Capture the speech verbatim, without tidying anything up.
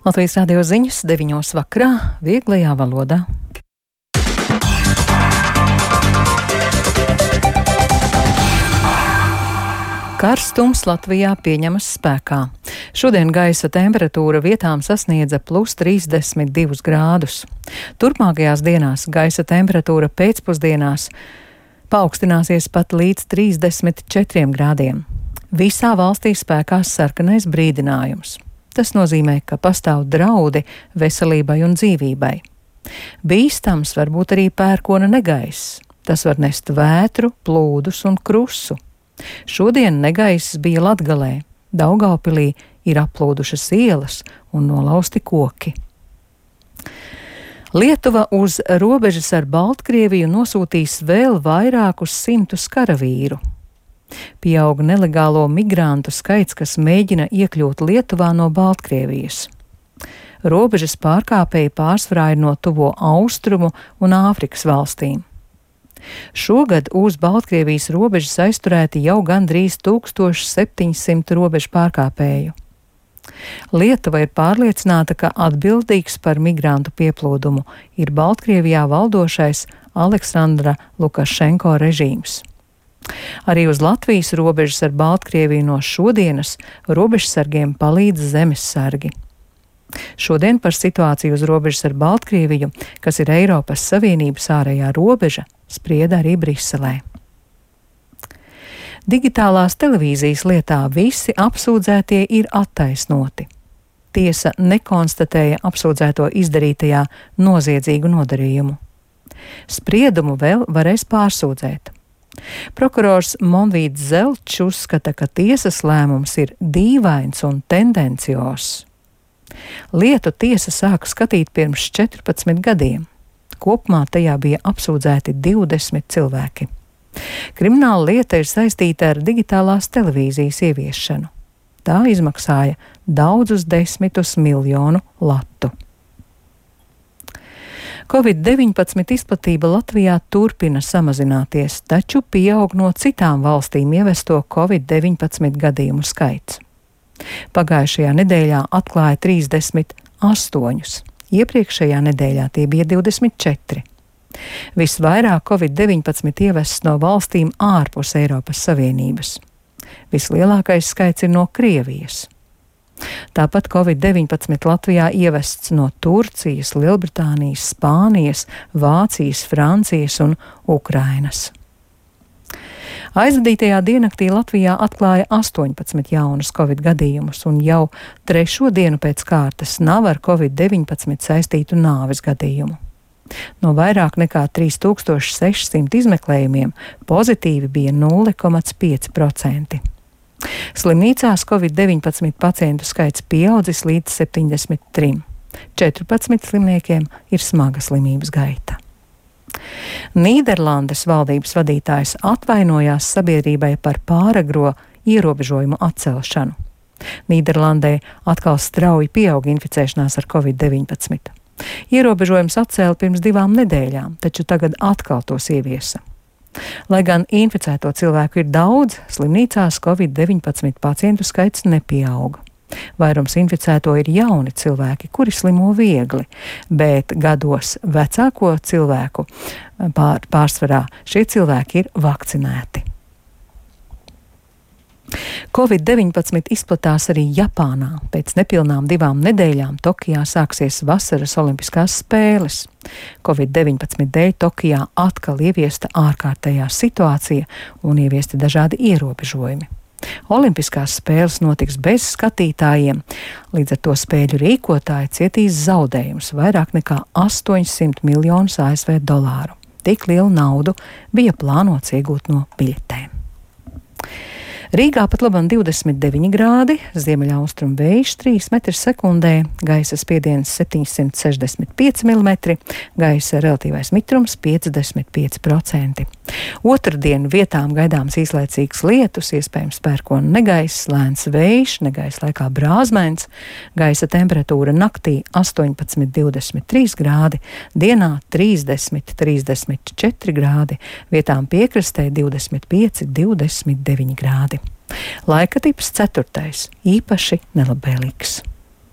Latvijas radio ziņas deviņos vakarā vieglajā valodā. Karstums Latvijā pieņemas spēkā. Šodien gaisa temperatūra vietām sasniedza plus trīsdesmit divus grādus. Turpmākajās dienās gaisa temperatūra pēcpusdienās paaugstināsies pat līdz trīsdesmit četriem grādiem. Visā valstī spēkās sarkanais brīdinājums. Tas nozīmē, ka pastāv draudi veselībai un dzīvībai. Bīstams var būt arī pērkona negaiss. Tas var nest vētru, plūdus un krusu. Šodien negaiss bija Latgalē. Daugavpilī ir aplūdušas ielas un nolausti koki. Lietuva uz robežas ar Baltkrieviju nosūtīs vēl vairākus simtus karavīru. Pieaug nelegālo migrantu skaits, kas mēģina iekļūt Lietuvā no Baltkrievijas. Robežas pārkāpēji pārsvarā ir no tuvo austrumu un Āfrikas valstīm. Šogad uz Baltkrievijas robežas aizturēti jau gandrīz tūkstoš septiņsimt robežu pārkāpēju. Lietuva ir pārliecināta, ka atbildīgs par migrantu pieplūdumu ir Baltkrievijā valdošais Aleksandra Lukašenko režīms. Arī uz Latvijas robežas ar Baltkrieviju no šodienas robežsargiem palīdz zemessargi. Šodien par situāciju uz robežas ar Baltkrieviju, kas ir Eiropas Savienības ārējā robeža, sprieda arī Briselē. Digitālās televīzijas lietā visi apsūdzētie ir attaisnoti. Tiesa nekonstatēja apsūdzēto izdarītajā noziedzīgu nodarījumu. Spriedumu vēl varēs pārsūdzēt. Prokurors Monvīds Zelčs uzskata, ka tiesas lēmums ir dīvains un tendenciozs. Lietu tiesa sāka skatīt pirms četrpadsmit gadiem. Kopumā tajā bija apsūdzēti divdesmit cilvēki. Krimināla lieta ir saistīta ar digitālās televīzijas ieviešanu. Tā izmaksāja daudzus desmitus miljonu latu. covid deviņpadsmit izplatība Latvijā turpina samazināties, taču pieaug no citām valstīm ievesto covid deviņpadsmit gadījumu skaits. Pagājušajā nedēļā atklāja trīsdesmit astoņus. Iepriekšējā nedēļā tie bija divdesmit četri. Visvairāk covid deviņpadsmit ievests no valstīm ārpus Eiropas Savienības. Vislielākais skaits ir no Krievijas. Tāpat covid deviņpadsmit Latvijā ievests no Turcijas, Lielbritānijas, Spānijas, Vācijas, Francijas un Ukrainas. Aizvadītajā diennaktī Latvijā atklāja astoņpadsmit jaunus covid gadījumus, un jau trešo dienu pēc kārtas nav ar covid deviņpadsmit saistītu nāves gadījumu. No vairāk nekā trīs tūkstoši sešsimt izmeklējumiem pozitīvi bija nulle komats pieci procenti. Slimnīcās covid deviņpadsmit pacientu skaits pieaudzis līdz septiņdesmit trim. četrpadsmit slimniekiem ir smaga slimības gaita. Nīderlandes valdības vadītājs atvainojās sabiedrībai par pāragro ierobežojumu atcelšanu. Nīderlandē atkal strauji pieaug inficēšanās ar covid deviņpadsmit. Ierobežojums atcēla pirms divām nedēļām, taču tagad atkal tos ieviesa. Lai gan inficēto cilvēku ir daudz, slimnīcās covid deviņpadsmit pacientu skaits nepieauga. Vairums inficēto ir jauni cilvēki, kuri slimo viegli, bet gados vecāko cilvēku pār, pārsvarā šie cilvēki ir vakcinēti. covid deviņpadsmit izplatās arī Japānā. Pēc nepilnām divām nedēļām Tokijā sāksies vasaras olimpiskās spēles. covid deviņpadsmit dēļ Tokijā atkal ieviesta ārkārtējā situācija un ieviesti dažādi ierobežojumi. Olimpiskās spēles notiks bez skatītājiem, līdz ar to spēļu rīkotāji cietīs zaudējumus vairāk nekā astoņsimt miljonus A S V dolāru. Tik lielu naudu bija plānots iegūt no biļetēm. Rīgā pat labam divdesmit deviņi grādi, ziemeļaustrumu vējš trīs metri sekundē, gaisa spiediens septiņsimt sešdesmit pieci milimetri, gaisa relatīvais mitrums piecdesmit pieci procenti. Otrdien vietām gaidāms īslaicīgs lietus, iespējams pērkona negaiss, lēns vējš, negaiss laikā brāzmēns, gaisa temperatūra naktī astoņpadsmit divdesmit trīs grādi, dienā trīsdesmit trīsdesmit četri grādi, vietām piekrastē divdesmit pieci divdesmit deviņi grādi. Laika tips ceturtais, īpaši nelabvēlīgs.